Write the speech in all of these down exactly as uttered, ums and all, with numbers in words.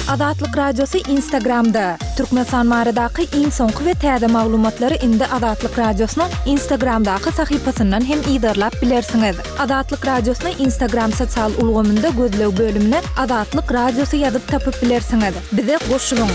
Azatlyk Radiosy Instagramda. Türkmenistan baradaky iň soňky we täze maglumatlary indi Azatlyk Radiosynyň Instagramdaky sahypasyndan hem yzarlap bilersiňiz. Azatlyk Radiosyny Instagram sosial ulgamynda gözleg bölümine Azatlyk Radiosy ýazyp tapyp bilersiňiz. Bize goşulyň.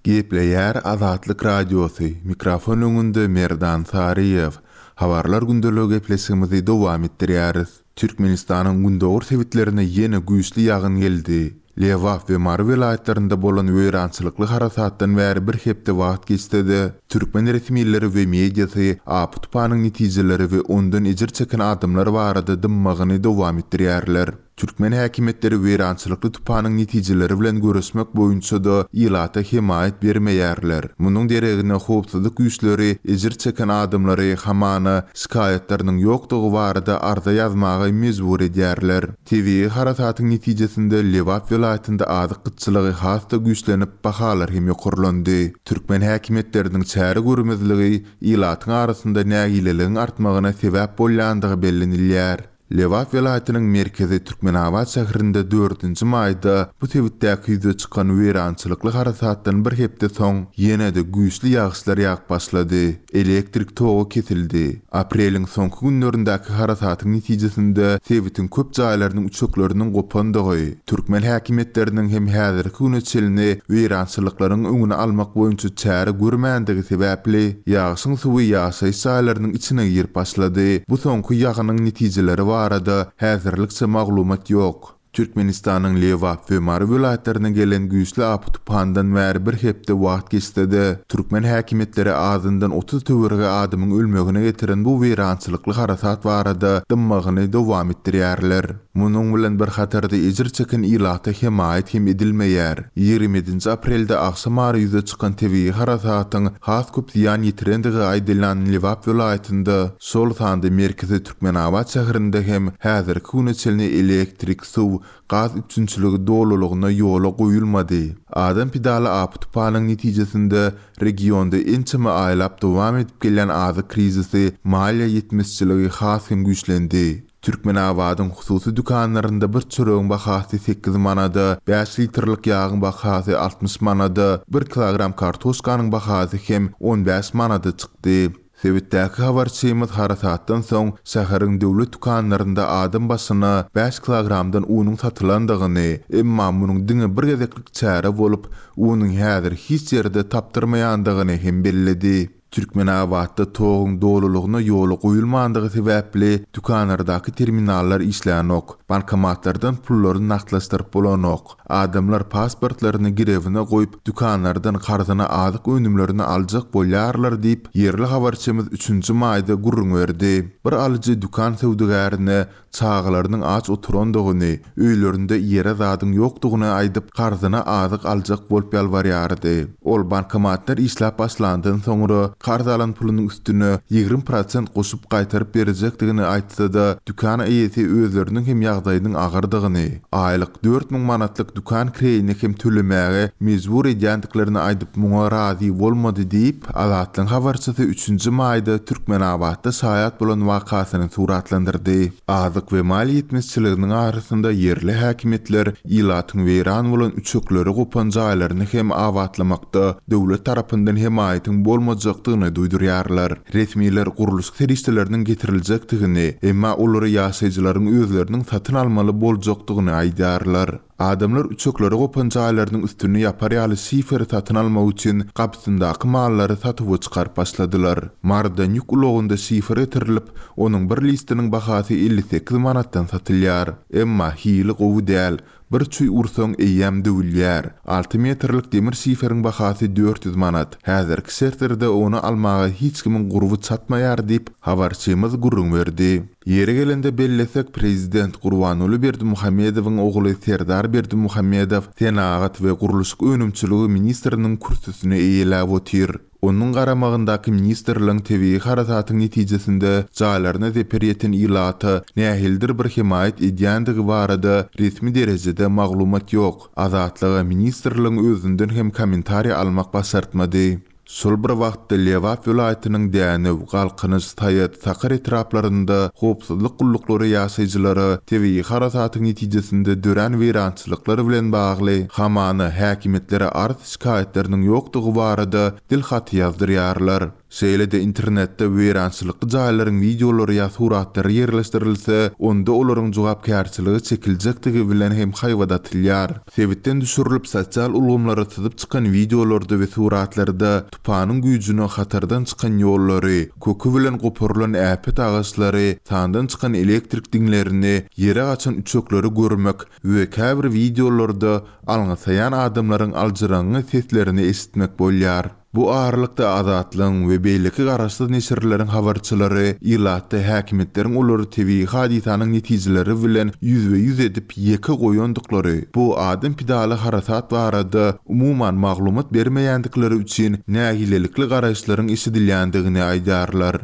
Gepleýär Azatlyk Radiosy, mikrofon öňünde Merdan Saryýew. Habarlar gündeligi gepleşigimizi dowam etdirýäris. Türkmenistanyň gündogar sebitlerine ýene güýçli ýagyn geldi. Lebap we Mary welaýatlarynda bolan weýrançylykly harasatdan bäri bir hepde wagt geçse-de, türkmen resmileri we mediasy apy-tupanyň netijeleri we ondan ejir çeken adamlar barada dymmagyny dowam etdirýärler. Türkmen häkimiýetleri weýrançylykly tupanyň netijeleri bilen göreşmek boýunça-da ilata hemaýat bermeýärler. Munuň deregine howpsuzlyk güýçleri ejir çeken adamlary hamana şikaýatlarynyň ýokdugy barada arza ýazmaga mejbur edýärler. Tebigy harasatyň netijesinde Lebap welaýatynda azyk gytçylygy has-da güýçlenip, bahalar hem ýokarlandy. Türkmen häkimiýetleriniň çäre görmezligi ilatyň arasynda nägileligiň artmagyna sebäp bolýandygy bellenilýär. Lebap welaýatynyň merkezi Türkmenabat şäherinde dördünji maýda bu sebitdäki ýüze çykan weýrançylykly harasatdan bir hepde soň ýene-de güýçli ýagyşlar ýagyp başlady. Elektrik togy kesildi. Apreliň soňky günlerindäki harasatyň netijesinde sebitiň köp jaýlarynyň üçekleriniň gopandygy, türkmen häkimiýetleriniň hem häzirki güne çenli weýrançylyklaryň öňüni almak boýunça çäre görmändigi sebäpli ýagyşyň suwy ýaşaýyş jaýlarynyň içine girip başlady. Bu soňky ýagynyň netijeleri barada häzirlikçe maglumat ýok. Türkmenistanyň Lebap we Mary welaýatlaryna gelen güýçli apy-tupandan bäri bir hepde wagt geçse-de, türkmen häkimiýetleri azyndan otuz töweregi adamyň ölmegine getiren bu weýrançylykly harasat barada dymmagyny dowam etdirýärler. Munuň bilen bir hatarda ejir çeken ilata hemaýat hem edilmeýär. Ýigrimi ýedinji aprelde agşam ara ýüze çykan tebigy harasatyň has köp zyýan ýetirendigi aýdylýan Lebap welaýatynda, şol sanda merkezi Türkmenabat şäherinde hem häzirki güne çenli elektrik, suw, gaz üpjünçiligi dolulygyna ýola goýulmady. Adam pidaly apy-tupanyň netijesinde regionda ençeme aýlap dowam edip gelýän azyk krizisi, maliýe ýetmezçiligi has hem güýçlendi. Türkmenabadyň hususy dükanlarynda bir çöregiň bahasy sekiz manada, bäş litrlik ýagyň bahasy altmyş manada, bir kilogram kartoşkanyň bahasy hem on bäş manada çykdy. Sebitdäki habarçymyz harasatdan soň şäheriň döwlet dükanlarynda adam başyna bäş kilogramdan unuň satylandygyny, emma munuň diňe bir gezeklik çäre bolup, unuň häzir hiç ýerde tapdyrmaýandygyny hem belledi. Türkmenabatda toguň dolulygyna ýola goýulmandygy sebäpli dükanlardaky terminallar işlänok, bankomatlardan pullary nagtlaşdyryp bolanok. Adamlar pasportlaryny girewine goýup, dükanlardan karzyna azyk önümlerini aljak bolýarlar diýip, ýerli habarçymyz üçünji maýda gürrüň berdi. Bir alyjy dükan söwdagärine çagalarynyň aç oturandygyny, öýlerinde ýere zadyň ýokdugyny aýdyp, karzyna azyk aljak bolup ýalbarýardy. Ol bankomatlar işläp başlandan soňra karz alan pulunyň üstüne ýigrimi prosent goşup gaýtaryp berjekdigini aýtsa-da, dükan eýesi özleriniň hem ýagdaýynyň agyrdygyny, aýlyk dört müň manatlyk dükan kireýini hem tölemäge mejbur edýändiklerini aýdyp muňa razy bolmady diýip, Azatlygyň habarçysy üçünji maýda Türkmenabatda şaýat bolan wakasyny suratlandyrdy. Azyk we maliýe ýetmezçiliginiň arasynda ýerli häkimiýetler ilatyň weýran bolan üçekleri gopan jaýlaryny hem abatlamakda döwlet tarapyndan hemaýatyň bolmajakdygyny duýdurýarlar. Resmiler gurluşyk serişdeleriniň getiriljekdigini, emma olary ýaşaýjylaryň özleriniň satyn almaly boljakdygyny aýdýarlar. Adamlar üçekleri gopan jaýlarynyň üstüni ýapar ýaly şiferi satyn almak üçin gapysyndaky mallary satuwa çykaryp başladylar. Marydan ýük ulagynda şifer getirilip, onuň bir listiniň bahasy elli sekiz manatdan satylýar. Emma hili gowy däl, bir çüý ursaň eýýäm döwülýär. Alty metrlik demir şiferiň bahasy dört ýüz manat. Häzirki şertlerde ony almaga hiç kimiň gurby çatmaýar diýip, habarçymyz gürrüň berdi. Ýeri gelende bellesek, prezident Gurbanguly Berdimuhamedowyň ogly Serdar Berdimuhamedow senagat we gurluşyk önümçiligi ministriniň kürsüsini eýeläp otyr. Onuň garamagyndaky ministrligiň tebigy harasatyň netijesinde jaýlaryna zeper ýeten ilata nähilidir bir hemaýat edýändigi barada resmi derejede maglumat ýok. Azatlyga ministrligiň özünden hem kommentariý almak başartmady. Şol bir wagtda Lebap welaýatynyň Dänew, Galkynyş, Saýat, Sakar etraplarynda howpsuzlyk gulluklary ýaşaýjylara tebigy harasatyň netijesinde dörän weýrançylyklar bilen bagly hamana häkimiýetlere arz-şikaýatlarynyň ýokdugy barada dil haty ýazdyrýarlar. Şeýle-de internetde weýrançylykly jaýlaryň wideolary ýa suratlary ýerleşdirilse, onda olaryň jogapkärçiligi çekiljekdigi bilen hem haýbat atylýar. Sebitden düşürilip sosial ulgamlara syzyp çykan wideolarda we suratlarda tupanyň güýjüne hatardan çykan ýollary, köki bilen goparylan äpet agaçlary, sandan çykan elektrik diňlerini, ýere gaçan üçekleri görmek we käbir wideolarda alňasaýan adamlaryň aljyraňňy seslerini eşitmek bolýar. Bu aralykda Azatlygyň we beýleki garaşsyz neşirleriň habarçylary ilatda häkimiýetleriň olary tebigy hadysanyň netijeleri bilen ýüzbe-ýüz edip ýeke goýandyklary, bu adam pidaly harasat barada umuman maglumat bermeýändikleri üçin nägilelikli garaýyşlaryň eşidilýändigini aýdýarlar.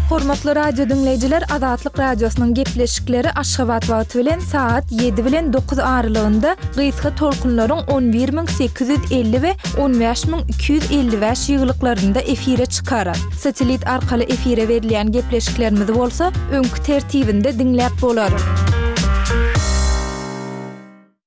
Hormatly radio diňleýjiler, Azatlyk radiosynyň gepleşikleri Aşgabat wagty bilen saat ýedi bilen dokuz aralygynda gysga tolkunlaryň on bir müň sekiz ýüz elli we on bäş müň iki ýüz elli bäş ýyglyklarynda efire çykar. Satelit arkaly efire berilýän gepleşiklerimizi bolsa öňki tertibinde diňläp bolar.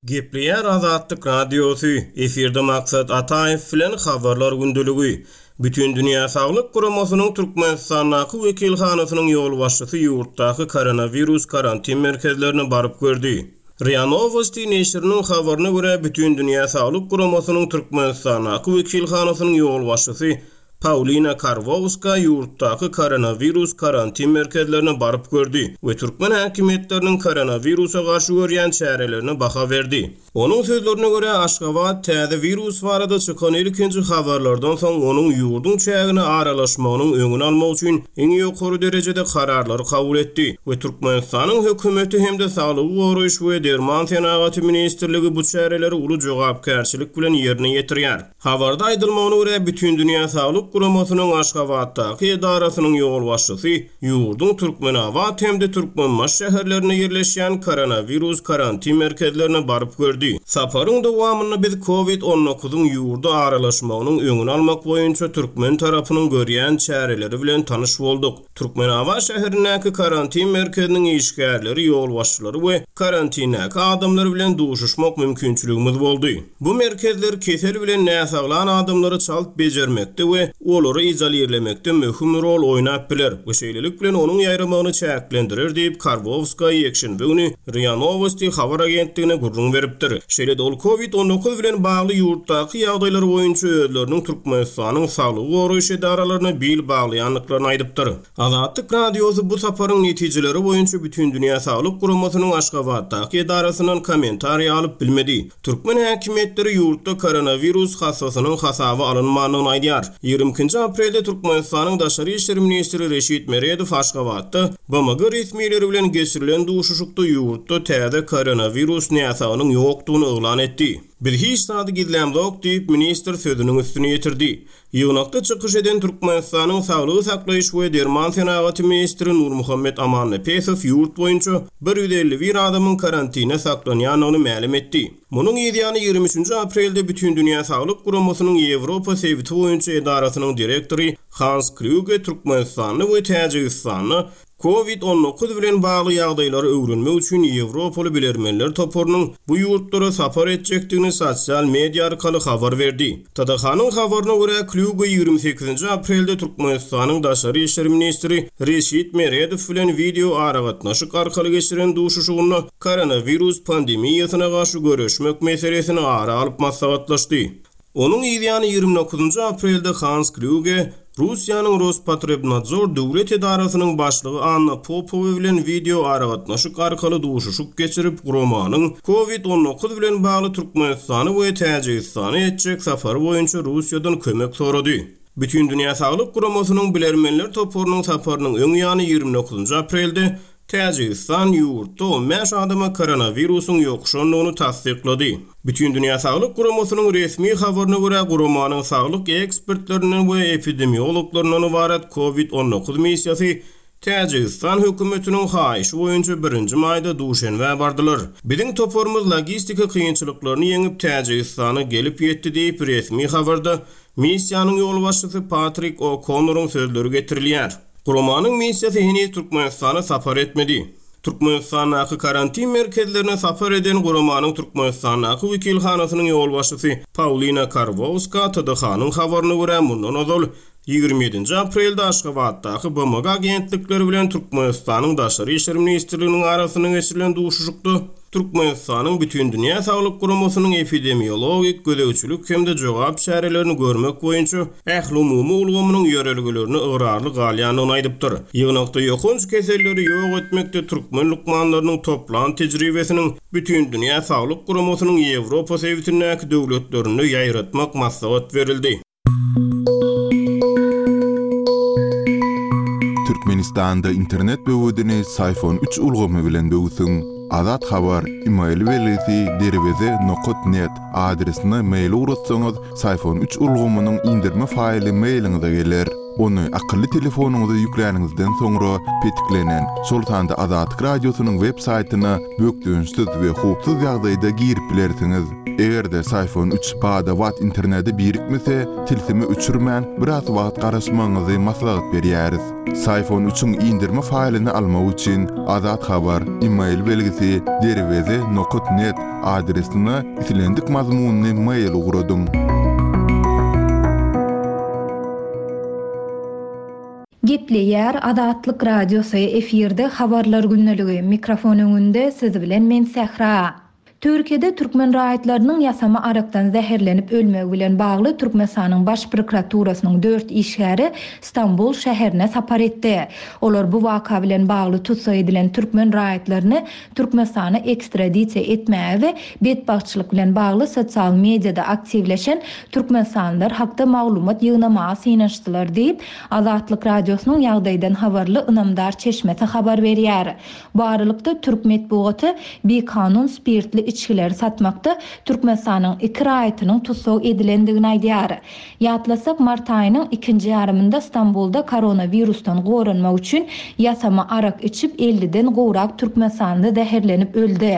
Gepleýär Azatlyk radiosy, efirde Maksat Ataýew bilen habarlar gündeligi. Bütindünýä Saglyk Guramasynyň Türkmenistandaky wekilhanasynyň ýolbaşçysy ýurtdaky koronawirus karantin merkezlerine baryp gördi. RIA Novosti neşiriniň habaryna görä Bütindünýä Saglyk Guramasynyň Türkmenistandaky wekilhanasynyň ýolbaşçysy Paulina Karwowska ýurtdaky koronawirus karantin merkezlerine baryp gördi we türkmen häkimiýetleriniň koronawirusa garşy görýän çärelerine baha berdi. Onuň sözlerine görä Aşgabat täze wirus barada çykan ilkinji habarlardan soň onuň ýurduň çägine aralaşmagynyň öňüni almak üçin iň ýokary derejede kararlary kabul etdi we Türkmenistanyň hökümeti hem-de Saglygy goraýyş we Derman senagaty ministrligi bu çäreleri uly jogapkärçilik bilen ýerine ýetirýär. Habarda aýdylmagyna görä Bütindünýä Saglyk Guramasynyň Aşgabatdaky edarasynyň ýolbaşçysy ýurduň Türkmenabat hem-de Türkmenbaşy şäherlerinde ýerleşýän koronawirus karantin merkezlerine baryp gördi. Saparyň dowamynda biz kovid on dokuzyň ýurda aralaşmagynyň öňüni almak boýunça türkmen tarapynyň görýän çäreleri bilen tanyş bolduk. Türkmenabat şäherindäki karantin merkeziniň işgärleri, ýolbaşçylary we karantindäki adamlar bilen duşuşmak mümkinçiligimiz boldy. Bu merkezler kesel bilen näsaglan adamlary çalt bejermekde we olary izolirlemekde möhüm rol oýnap biler we şeýlelik bilen onuň ýaýramagyny çäklendirer diýip Karwowska ýekşenbe güni RIA Novosti habar agentligine gürrüň beripdir. Şeýle-de ol kovid on dokuz bilen bagly ýurtdaky ýagdaýlar boýunça özleriniň Türkmenistanyň saglygy goraýyş edaralaryna bil baglaýandyklaryny aýdypdyr. Azatlyk radiosy bu saparyň netijeleri boýunça Bütindünýä Saglyk Guramasynyň Aşgabatdaky edarasyndan kommentariý alyp bilmedi. Türkmen häkimiýetleri ýurtda koronawirus hassasynyň hasaby alynmandygyny aýdýar. Ýigrimi ikinji aprelde Türkmenistanyň Daşary işler ministri Reşit Meredow Aşgabatda B M G resmileri bilen geçirilen duşuşykda ýurtda täze koronawirus näsagynyň ýokdugyny yglan etdi. Biz hiç zady gizlämzok diýip ministr sözüniň üstüne ýetirdi. Ýygnakda çykyş eden Türkmenistanyň Saglygy saklaýyş we Derman senagaty ministri Nurmuhammet Amannepesow ýurt boýunça bir ýüz elli bir adamyň karantine saklanýandygyny mälim etdi. Munuň ýany ýigrimi üçünji aprelde Bütindünýä Saglyk Guramasynyň Ýewropa sebiti boýunça edarasynyň direktory Hans Kluge Türkmenistanda we Täjigistanda kovid on dokuz bilen bagly ýagdaýlary öwrenmek üçin Ýewropaly bilermenler toparynyň bu ýurtlara sapar etjekdigini sosial media arkaly habar berdi. T D H-nyň habaryna görä Kluge ýigrimi sekizinji aprelde Türkmenistanyň Daşary işler ministri Reşit Meredow bilen wideo aragatnaşyk arkaly geçiren duşuşygynda koronawirus pandemiýasyna garşy göreşmek meselesini ara alyp maslahatlaşdy. Onuň ýany ýigrimi dokuzynjy aprelde Hans Kluge Russiýanyň Rospotrebnadzor döwlet edarasynyň başlygy Anna Popowa bilen wideo aragatnaşyk arkaly duşuşyk geçirip, guramanyň kovid on dokuz bilen bagly Türkmenistany we Täjigistany etjek safary boýunça Russiýadan kömek sorady. Bütindünýä Saglyk Guramasynyň bilermenler toparynyň saparynyň öň ýany ýigrimi dokuzynjy aprelde Täjigistan ýurtda on bäş adama koronawirusyň ýokuşandygyny tassyklady. Bütindünýä Saglyk Guramasynyň resmi habaryna görä guramanyň saglyk ekspertlerinden we epidemiologlaryndan ybarat kovid on dokuz missiýasy Täjigistan hökümetiniň haýyşy boýunça birinji maýda Duşenbä bardylar. Biziň toparymyz logistika kynçylyklaryny ýeňip Täjigistana gelip ýetdi diýip, resmi habarda missiýanyň ýolbaşçysy Patrik O'Konnoryň sözleri getirilýär. Guramanyň missiýasy heniz Türkmenistana sapar etmedi. Türkmenistandaky karantin merkezlerine sapar eden guramanyň Türkmenistandaky wekilhanasynyň ýolbaşçysy Paulina Karwowska T D H-nyň habaryna görä, mundan ozal ýigrimi ýedinji aprelde Aşgabatdaky B M G agentlikleri bilen Türkmenistanyň Daşary işler ministrliginiň arasynda geçirilen duşuşykda Türkmenistanyň Bütindünýä Saglyk Guramasynyň epidemiologik gözegçilik hem-de jogap çärelerini görmek boýunça ählumumy ulgamynyň ýörelgelerini ygrarly galýandygyny aýdypdyr. Ýygnakda ýokanç keselleri ýok etmekde türkmen lukmanlarynyň toplan tejribesiniň Bütindünýä Saglyk Guramasynyň Ýewropa sebitindäki döwletlerinde ýaýratmak maslahat berildi. Türkmenistanda internet böwedini Psiphon üç ulgamy bilen böwsüň. Azat Habar, email belgisi derweze nokta net adresine mail ugratsaňyz, Psiphon üç ulgamynyň indirme faýly mailiňize geler. Ony akylly telefonyňyza ýükläniňizden soňra petiklenen, şol sanda Azatlyk Radiosynyň web saýtyna bökdençsiz we howpsuz ýagdaýda girip bilersiňiz. Eger-de Psiphon üç bada-bat internete birikmese, tilsimi öçürmän biraz wagt garaşmagyňyzy maslahat berýäris. Psiphon üçiň indirme faýlyny almak üçin Azat Habar, email belgisi derweze nokta net adresine islendik mazmunly mail ugradyň. Gepleýär Azatlyk Radiosy, efirde habarlar gündeligi, mikrofon öňünde siz bilen men Sähra. Türkiýede türkmen raýatlarynyň ýasama arakdan zäherlenip ölmegi bilen bagly Türkmenistanyň Baş prokuraturasynyň dört işgäri Stambul şäherine sapar etdi. Olar bu waka bilen bagly tussag edilen türkmen raýatlaryny Türkmenistana ekstradisiýa etmäge we betbagtçylyk bilen bagly sosial mediada aktiwleşen türkmenistanlylar hakda maglumat ýygnamaga synanyşdylar diýip, Azatlyk Radiosynyň ýagdaýdan habarly ynamdar çeşmesi habar berýär. Bu aralykda türk metbugaty bikanun spirtli içgileri satmakda Türkmenistanyň iki raýatynyň tussag edilendigini aýdýar. Ýatlasak, mart aýynyň ikinji ýarymynda Stambulda koronavirusdan goranmak üçin ýasama arak içip elliden gowrak türkmenistanly zäherlenip öldi.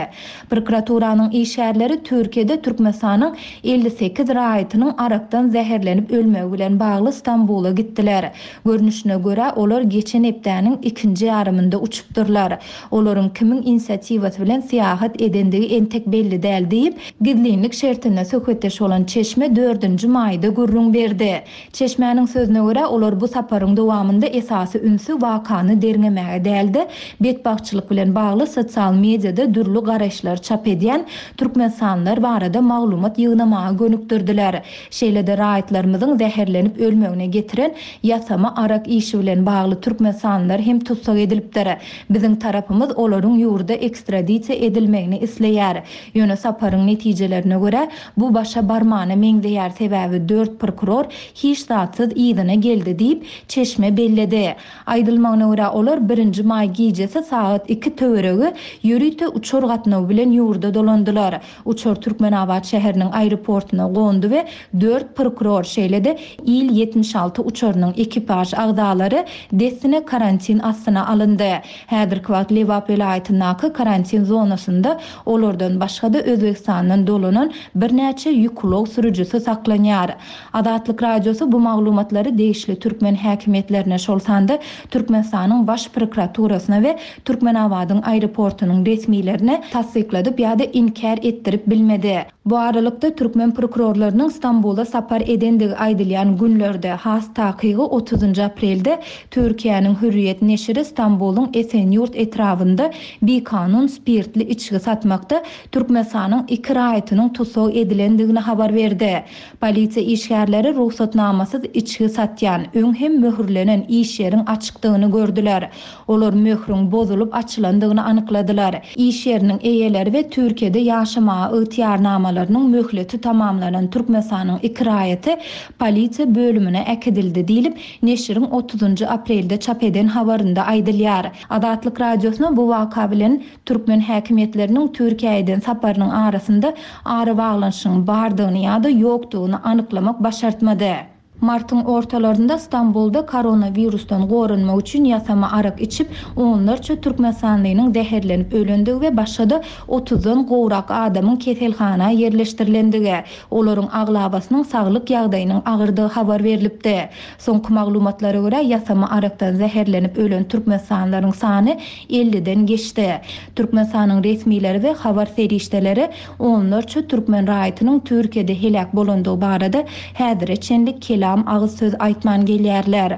Prokuraturanyň işgärleri Türkiýede Türkmenistanyň elli sekiz raýatynyň arakdan zäherlenip ölmegi bilen bagly Stambula gitdiler. Görnüşine görä, olar geçen hepdäniň ikinji ýarymynda uçupdyrlar. Olaryň kimiň inisiatiwasy bilen syýahat edendigi entek belli däl diýip, gizlinlik şertinde söhbetdeş bolan çeşme dördünji maýda gürrüň berdi. Çeşmäniň sözüne görä, olar bu saparyň dowamynda esasy ünsi wakany derňemäge däldi, betbagtçylyk bilen bagly sosial mediada dürli garaýyşlar çap edýän türkmenistanlylar barada maglumat ýygnamaga gönükdirdiler. Şeýle-de raýatlarymyzyň zäherlenip ölmegine getiren ýasama arak işi bilen bagly türkmenistanlylar hem tussag edilipdir. Biziň tarapymyz olaryň ýurda ekstradisiýa edilmegini isleýär. Ýöne saparyň netijelerine görä, bu başa barmana meňzeýär, sebäbi dört prokuror hiç zatsyz yzyna geldi diýip, çeşme belledi. Aýdylmagyna görä, olar birinji maý gijesi sagat iki töweregi ýörite uçar gatnawy bilen ýurda dolandylar. Uçar Türkmenabat şäheriniň aeroportuna gondy we dört prokuror, şeýle-de İl ýetmiş alty uçarynyň ekipaž agzalary dessine karantin astyna alyndy. Häzirki wagt Lebap welaýatyndaky karantin zonasynda olardan başga-da Özbegistandan dolanan birnäçe ýük ulag sürüjisi saklanýar. Azatlyk Radiosy bu maglumatlary degişli türkmen häkimiýetlerine, şol sanda Türkmenistanyň Baş prokuraturasyna we Türkmenabadyň aeroportunyň resmilerine tassykladyp ýa-da inkär etdirip bilmedi. Bu aralykda türkmen prokurorlarynyň Stambula sapar edendigi aýdylýan günlerde, has takygy otuzynjy aprelde Türkiýäniň Hürriýet neşiri Stambulyň Esenýurt etrabynda bikanun spirtli içgi satmakda Türkmenistanyň iki raýatynyň tussag edilendigini habar berdi. Polisiýa işgärleri rugsatnamasyz içgi satýan, öň hem möhürlenen iş ýeriň açykdygyny gördüler. Olar möhrüň bozulyp açylandygyny anykladylar. Iş ýeriniň eýeleri we Türkiýede ýaşamaga ygtyýarnamalarynyň möhleti tamamlanan Türkmenistanyň iki raýaty polisiýa bölümine äkidildi diýlip, neşiriň otuzynjy aprelde çap eden habarynda aýdylýar. Azatlyk Radiosyna bu waka bilen türkmen häkimiýetleriniň Türkiýeden saparynyň arasynda arabaglanyşygyň bardygyny ýa-da ýokdugyny anyklamak başartmady. Martyň ortalarynda Stambulda koronawirusdan goranmak üçin ýasama arak içip, onlarça türkmenistanlynyň zäherlenip ölendigi we başga-da otuzdan gowrak adamyň keselhana ýerleşdirilendigi, olaryň aglabasynyň saglyk ýagdaýynyň agyrdygy habar berlipdi. Soňky maglumatlara görä, ýasama arakdan zäherlenip ölen türkmenistanlylaryň sany elliden geçdi. Türkmenistanyň resmileri we habar serişdeleri onlarça türkmen raýatynyň Türkiýede heläk bolandygy barada häzire çenli kelam agyz söz aýtman gelýärler.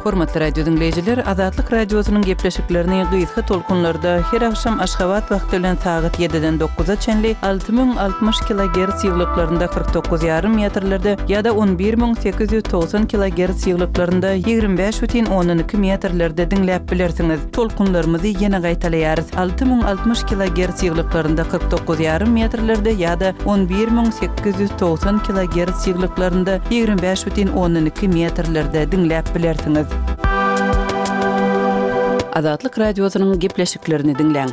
Hormatly radio diňleýjiler, Azatlyk radiosynyň gepleşiklerini gysga tolkunlarda her agşam Aşgabat wagty bilen sagat ýediden dokuza çenli alty müň altmyş kilogertz ýyglyklarynda kyrk dokuz ýarym metrlerde ýa-da on bir müň sekiz ýüz togsan kilogertz ýyglyklarynda ýigrimi bäş bütin ondan iki metrlerde diňläp bilersiňiz. Tolkunlarymyzy ýene gaýtalaýarys. Alty müň altmyş kilogertz ýyglyklarynda kyrk dokuz ýarym metrlerde ýa-da on bir müň sekiz ýüz togsan kilogertz ýyglyklarynda ýigrimi bäş bütin ondan iki metrlerde diňläp bilersiňiz. Azatlyk radiosynyň gepleşiklerini diňläň.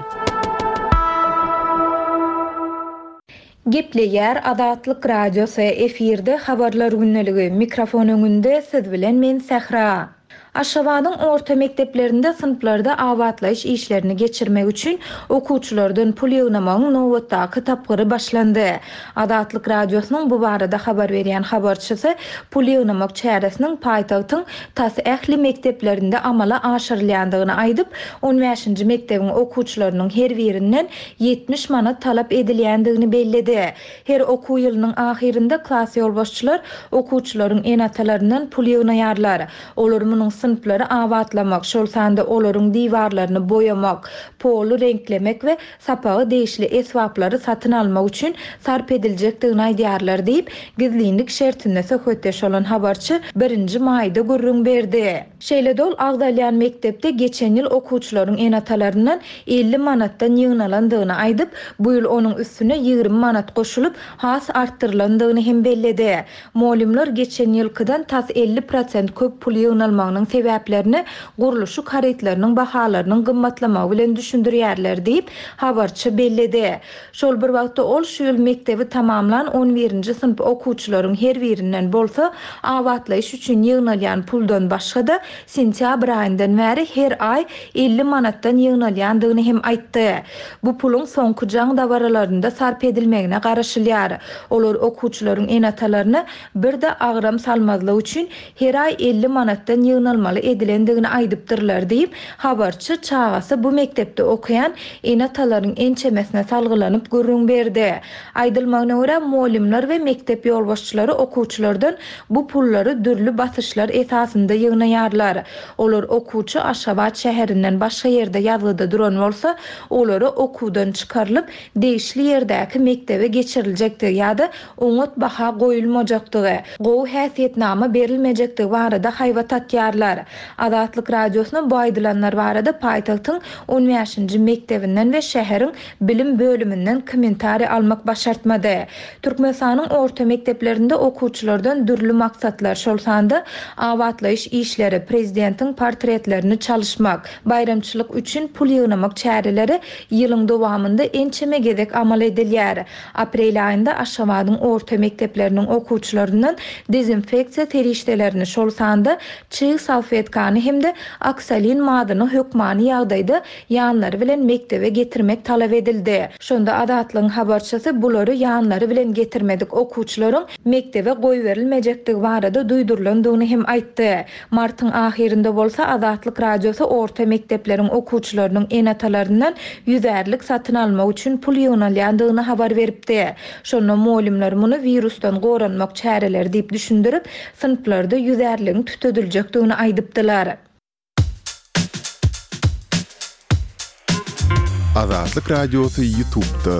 Gepleýär Azatlyk radiosy, efirde habarlar gündeligi, mikrofon öňünde siz bilen men Sähra. Aşgabadyň orta mekdeplerinde synplarda abatlaýyş işlerini geçirmek üçin okuwçylardan pul ýygnamagyň nobatdaky tapgyry başlandy. Azatlyk radiosynyň bu barada habar berýän habarçysy pul ýygnamak çäresiniň paýtagtyň tas ähli mekdeplerinde amala aşyrylýandygyny aýdyp, on bäşinji mekdebiň okuwçylarynyň her birinden ýetmiş manat talap edilýändigini belledi. Her okuw ýylynyň ahyrynda klas ýolbaşçylar okuwçylaryň ene-atalaryndan pul ýygnaýarlar. Olar munuň synplary abatlamak, şol sanda olaryň diwarlaryny boýamak, polu reňklemek we sapaga degişli esbaplary satyn almak üçin sarp ediljekdigini aýdýarlar diýip, gizlinlik şertinde söhbetdeş bolan habarçy birinji maýda gürrüň berdi. Şeýle dol agzalýan mekdepde geçen ýyl okuwçylaryň ene-atalaryndan elli manatdan ýygnalandygyny aýdyp, bu ýyl onuň üstüne ýigrimi manat goşulyp, has artdyrylandygyny hem belledi. Mugallymlar geçen ýylkydan tas elli prosent köp pul ýygnalmagynyň sebäplerini gurluşyk harytlarynyň bahalarynyň gymmatlamagy bilen düşündirýärler diýip, habarçy belledi. Şol bir wagtda ol şu ýyl mekdebi tamamlan on birinji synp okuwçylaryň her birinden bolsa abatlaýyş üçin ýygnalýan puldan başga-da sentýabr aýyndan bäri her aý elli manatdan ýygnalýandygyny hem aýtdy. Bu puluň soňky jaň dabaralarynda sarp edilmegine garaşylýar. Olar okuwçylaryň ene-atalaryna bir-de agram salmazlyk üçin her aý elli manatdan ýygnalmaly edilendigini aýdypdyrlar diýip, habarçy çagasy bu mekdepde okaýan ene-atalaryň ençemesine salgylanyp gürrüň berdi. Aýdylmagyna görä, mugallymlar we mekdep ýolbaşçylary okuwçylardan bu pullary dürli basyşlar esasynda ýygnaýarlar. Olar okuwçy Aşgabat şäherinden başga ýerde ýazgyda duran bolsa, olara okuwdan çykarylyp, degişli ýerdäki mekdebe geçiriljekdigi ýa-da oňat baha goýulmajakdygy, gowy häsiýetnama berilmejekdigi barada haýbat atýarlar. Azatlyk radiosyna bu aýdylanlar barada paýtagtyň on bäşinji mekdebinden we şäheriň bilim bölüminden kommentariý almak başartmady. Türkmenistanyň orta mekdeplerinde okuwçylardan dürli maksatlar, şol sanda abatlaýyş işleri, prezidentiň portretlerini çalyşmak, baýramçylyk üçin pul ýygnamak çäreleri ýylyň dowamynda ençeme gezek amal edilýär. Aprel aýynda Aşgabadyň orta mekdepleriniň okuwçylaryndan dezinfeksiýa serişdelerini, şol sanda çig salfetkany hem-de oksalin madyny hökmany ýagdaýda ýanlary bilen mekdebe getirmek talap edildi. Şonda Azatlygyň habarçysy bulary ýanlary bilen getirmedik okuwçylaryň mekdebe goýberilmejekdigi barada duýdurylandygyny hem aýtdy. Martyň ahyrynda bolsa Azatlyk radiosy orta mekdepleriň okuwçylarynyň ene-atalaryndan ýüzärlik satyn almak üçin pul ýygnalýandygyny habar beripdi. Şonda mugallymlar muny wirusdan goranmak çäreleri diýip düşündirip, synplarda ýüzärligiň tütediljekdigini aýdypdylar. Azatlyk radiosy YouTube'da.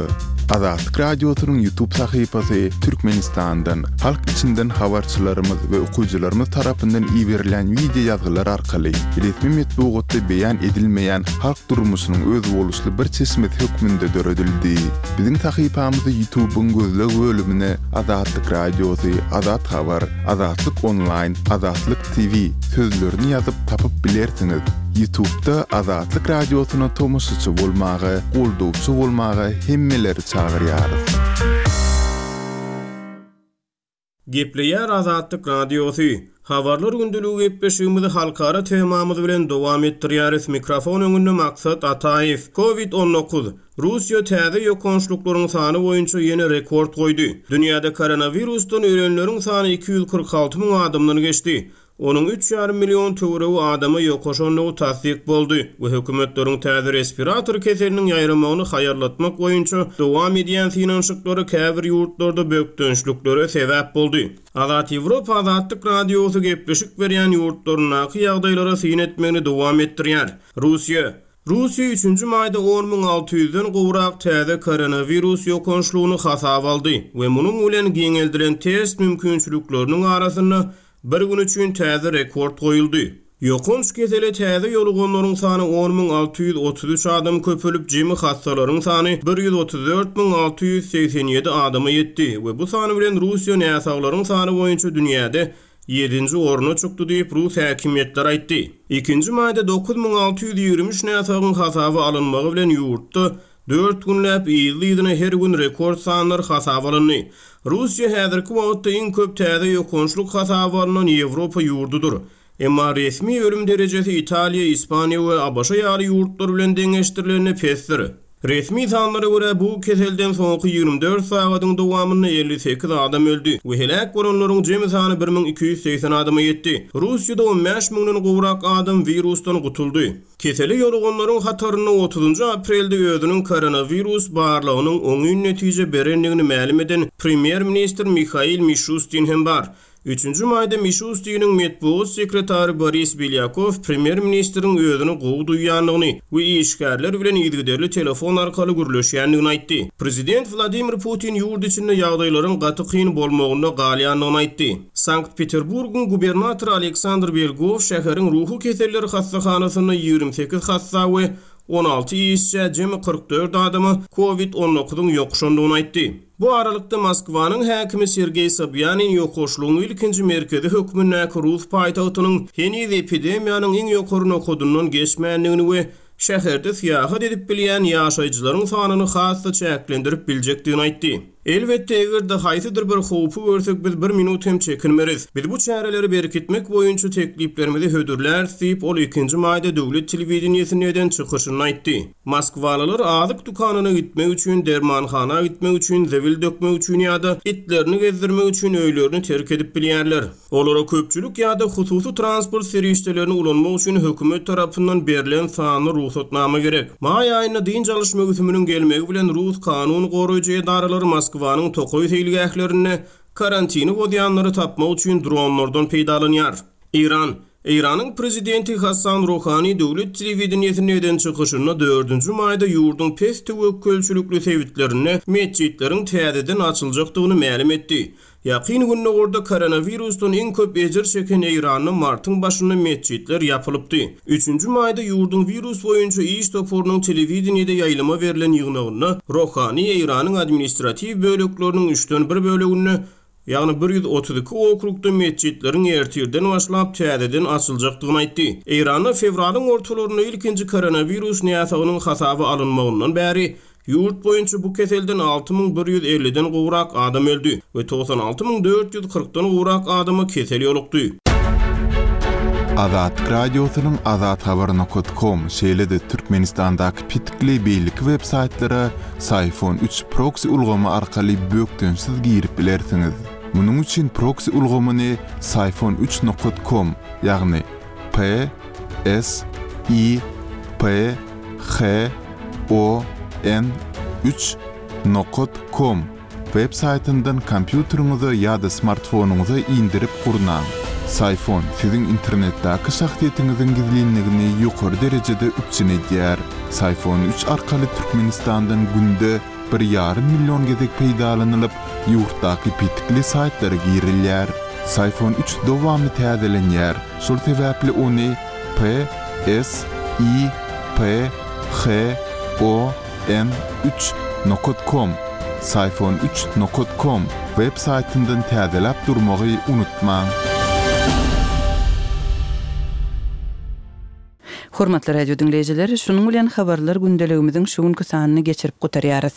Azatlyk radiosynyň YouTube sahypasy Türkmenistandan, halk içinden habarçylarymyz we okyjylarymyz tarapyndan iberilen video ýazgylar arkaly resmi metbugatda beýan edilmeýän halk durmuşynyň özboluşly bir çeşmesi hökmünde döredildi. Biziň sahypamyzy YouTube'yň gözleg bölümine Azatlyk radiosy, Azat Habar, Azatlyk Online, Azatlyk T V sözlerini ýazyp tapyp bilersiňiz. YouTube'da Azatlyk Radiosyna tomaşaçy bolmaga, goldawçy bolmaga hemmeleri çagyrýarys. Gepleýär Azatlyk Radiosy. Habarlar gündeligi gepleşigimizi halkara temamyz bilen dowam etdirýäris. Mikrofon öňünde Maksat Ataýew. Covid on dokuz. Russiýa täze ýokançlyklaryň sany boýunça ýene rekord goýdy. Dünýäde koronawirusdan ölenleriň sany iki ýüz kyrk alty müň adamdan geçdi. Onuň üç ýarym million töweregi adama ýokaşandygy tassyk boldy we hökümetleriň täze respirator keseliniň ýaýramagyny haýallatmak boýunça dowam edýän synanyşyklary käbir ýurtlarda bökdençliklere sebäp boldy. Azat Ýewropa Azatlyk Radiosy gepleşik berýän ýurtlaryndaky ýagdaýlara syn etmegini dowam etdirýär. Russiýa Russiýa üçünji maýda on müň alty ýüzden gowrak täze koronawirus ýokançlygyny hasap aldy we munuň bilen giňeldilen test mümkinçilikleriniň arasynda bir gün üçin täze rekord goýuldy. Ýokanç kesele täze ýoluganlaryň sany on müň alty ýüz otuz üç adam köpelip, jemi hassalaryň sany bir ýüz otuz dört müň alty ýüz segsen ýedi adama ýetdi we bu sany bilen Russiýa näsaglaryň sany boýunça dünýäde ýedinji orna çykdy diýip Rus häkimiýetleri aýtdy. Ikinji maýda dokuz müň alty ýüz ýigrimi üç näsagyň hasaby alynmagy bilen ýurtda dört günläp yzly-yzyna her gün rekord sanlar hasap alyndy. Russiýa häzirki wagtda iň köp täze ýokançlyk hasaby alynan Ýewropa ýurdudyr. Emma resmi ölüm derejesi Italiýa, Ispaniýa we ABŞ ýaly ýurtlar bilen deňeşdirilende pesdir. Resmi sanlara görä bu keselden soňky ýigrimi dört sagadyň dowamynda elli sekiz adam öldi we heläk bolanlaryň jemi sany bir müň iki ýüz segsen adama ýetdi. Russiýada on bäş müňden gowrak adam wirusdan gutuldy. Keseli ýoluganlaryň hatarynda otuzynjy aprelde özüniň koronawirus barlagynyň oňyn netije berendigini mälim eden premýer-ministr Mihail Mişustin hem bar. Üçünji maýda Mişustiniň metbugat sekretary Boris Belýakow premýer-ministriň özüni gowy duýýandygyny we işgärler bilen yzygiderli telefon arkaly gürleşýändigini aýtdy. Prezident Wladimir Putin ýurt içinde ýagdaýlaryň gaty kyn bolmagynda galýandygyny aýtdy. Sankt-Peterburgyň gubernatory Aleksandr Belgov şäheriň ruhy keselleri hassahanasynda ýigrimi sekiz hassa we on alty işçä jemi kyrk dört adama Covid on dokuzyň ýokuşandygyny aýtdy. Bu aralykda Moskwanyň häkimi Sergeý Sobýanin ýokaşlygyň ilkinji merkezi hökmündäki Rus paýtagtynyň heniz epidemiýanyň iň ýokary nokadyndan geçmändigini we şäherde syýahat edip bilýän ýaşaýjylaryň sanyny has-da çäklendirip biljekdigini aýtdy. Elbetde, eger-de haýsydyr bir howpy görsek, biz bir minut hem çekinmeris. Biz bu çäreleri berkitmek boýunça tekliplerimizi hödürläris diýip, ol ikinji maýda döwlet telewideniýesinde eden çykyşyny aýtdy. Moskwalylar azyk dükanyna gitmek üçin, dermanhana gitmek üçin, zebil dökmek üçin ýa-da itlerini gezdirmek üçin öýlerini terk edip bilýärler. Olara köpçülik ýa-da hususy transport serişdelerini ulanmak üçin hökümet tarapyndan berlen sanly rugsatnama gerek. Maý aýynda dynç alyş möwsüminiň gelmegi bilen Rus kanun goraýjy edaralary Moskwanyň tokaý seýilgählerinde karantini bozýanlary tapmak üçin dronlardan peýdalanýar. Eýran Eýranyň prezidenti Hassan Rohani döwlet telewideniýesinde eden çykyşynda dördünji maýda ýurduň pes töwekgelçilikli sebitlerinde metjitleriň täzeden açyljakdygyny mälim etdi. Ýakyn günlerde koronawirusdan iň köp ejir çeken Eýranda martyň başynda metjitler ýapylypdy. Üçünji maýda ýurduň wirus boýunça iş toparynyň telewideniýede ýaýlyma berlen ýygnagynda Rohani Eýranyň administratiw bölekleriniň üçden bir böleginde, ýagny bir ýüz otuz iki okrugda metjitleriň ertirden başlap täzeden açyljakdygyny aýtdy. Eýranda fewralyň ortalarynda ilkinji koronawirus näsagynyň hasaby alynmagyndan bäri ýurt boýunça bu keselden alty müň bir ýüz elliden gowrak adam öldi we togsan alty müň dört ýüz kyrkdan gowrak adama kesel ýolukdy. Azatlyk Radiosynyň azathabar nokta com, şeýle-de Türkmenistandaky pitikli beýleki web saýtlara Syfon üç proxy ulgamy arkaly bökdençsiz girip bilersiňiz. Munuň üçin proxy ulgamyny Syfon üç nokta com, ýagny P S I P H O N üç nokta com web saýtyndan kompýuteriňize ýa-da smartfonyňyza indirip gurnaň. Syfon siziň internetdäki şahsyýetiňiziň gizlinligini ýokary derejede üpjün edýär. Syfon üç arkaly Türkmenistandan günde bir ýarym million gezek peýdalanylyp, ýurtdaky pitikli saýtlara girilýär. Syfon üç dowamly täzelenýär. Şol sebäpli ony P S I P H O N üç nokta com, Syfon üç nokta com web saýtyndan täzeläp durmagy unutmaň. Hormatly radio diňleýjiler, şunuň bilen Habarlar gündeligimiziň şu günki sanyny geçirip gutarýarys.